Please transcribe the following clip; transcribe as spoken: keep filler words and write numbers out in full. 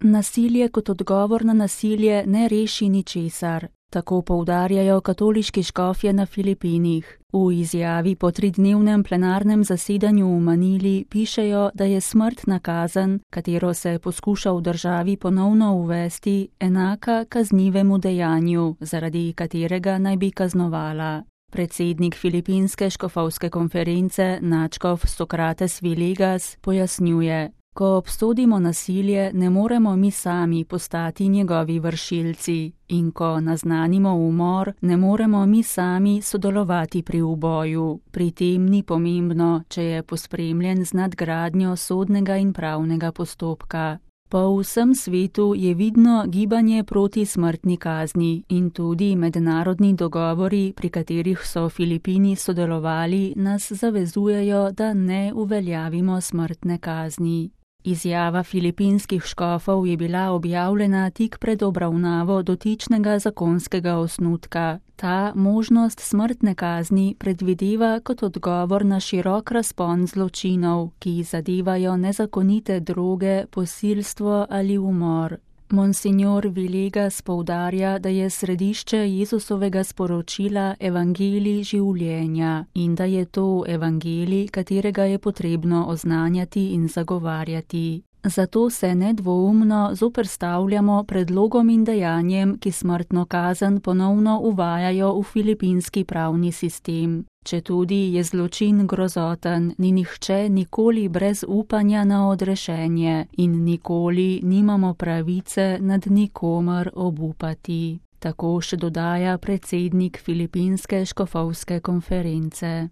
Nasilje kot odgovor na nasilje ne reši ničesar. Tako poudarjajo katoliški škofje na Filipinih. V izjavi po tridnevnem plenarnem zasedanju v Manili pišejo, da je smrtna kazen, katero se poskuša v državi ponovno uvesti, enaka kaznivemu dejanju, zaradi katerega naj bi kaznovala. Predsednik Filipinske škofovske konference nadškof Sokrates Villegas pojasnjuje: Ko obsodimo nasilje, ne moremo mi sami postati njegovi vršilci, in ko naznanimo umor, ne moremo mi sami sodelovati pri uboju. Pri tem ni pomembno, če je pospremljen z nadgradnjo sodnega in pravnega postopka. Po vsem svetu je vidno gibanje proti smrtni kazni in tudi mednarodni dogovori, pri katerih so Filipini sodelovali, nas zavezujejo, da ne uveljavimo smrtne kazni. Izjava filipinskih škofov je bila objavljena tik pred obravnavo dotičnega zakonskega osnutka. Ta možnost smrtne kazni predvideva kot odgovor na širok razpon zločinov, ki zadevajo nezakonite droge, posilstvo ali umor. Monsignor Villegas poudarja, da je središče Jezusovega sporočila evangelij življenja in da je to evangelij, katerega je potrebno oznanjati in zagovarjati. Zato se nedvoumno zoperstavljamo predlogom in dejanjem, ki smrtno kazen ponovno uvajajo v filipinski pravni sistem. Četudi je zločin grozoten, ni nihče nikoli brez upanja na odrešenje in nikoli nimamo pravice nad nikomer obupati. Tako še dodaja predsednik Filipinske škofovske konference.